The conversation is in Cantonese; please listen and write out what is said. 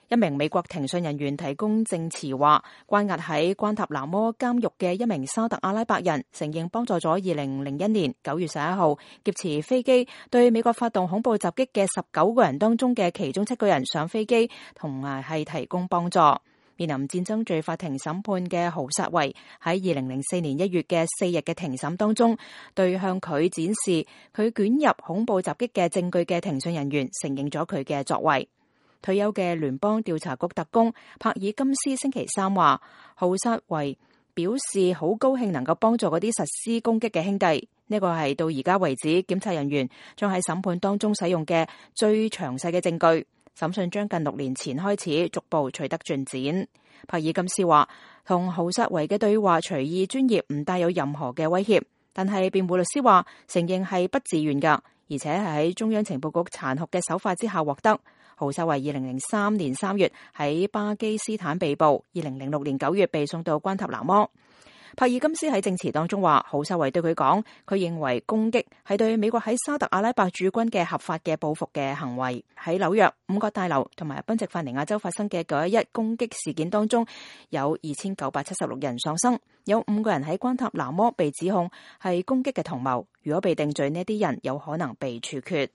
一名美國庭訊人員提供證詞話，關押喺關塔那摩監獄嘅一名沙特阿拉伯人承認幫助咗2001年9月11號劫持飛機對美國發動恐怖襲擊嘅19個人當中嘅其中7個人上飛機，同埋係提供幫助。面臨戰爭罪法庭審判嘅豪薩維喺2004年1月嘅4日嘅庭審當中，對向佢展示佢捲入恐怖襲擊嘅證據嘅庭訊人員承認咗佢嘅作為。退休嘅聯邦調查局特工帕爾金斯星期三話，豪薩維表示好高興能夠幫助嗰啲實施攻擊嘅兄弟。呢個係到而家為止檢察人員將喺審判當中使用嘅最詳細嘅證據。審訊將近6年前開始逐步取得進展。帕爾金斯話，同豪薩維嘅對話隨意專業，唔帶有任何嘅威脅。但係辯護律師話，承認係不自願㗎，而且係喺中央情報局殘酷嘅手法之下獲得。豪薩維2003年3月喺巴基斯坦被捕，2006年9月被送到關塔那摩。帕爾金斯喺證詞當中話，豪薩維對佢講，佢認為攻擊係對美國喺沙特阿拉伯駐軍嘅合法嘅報復嘅行為。喺紐約五角大樓同埋賓夕法尼亞州發生嘅911攻擊事件當中，有2976人喪生，有5個人喺關塔那摩被指控係攻擊嘅同謀。如果被定罪，呢啲人有可能被處決。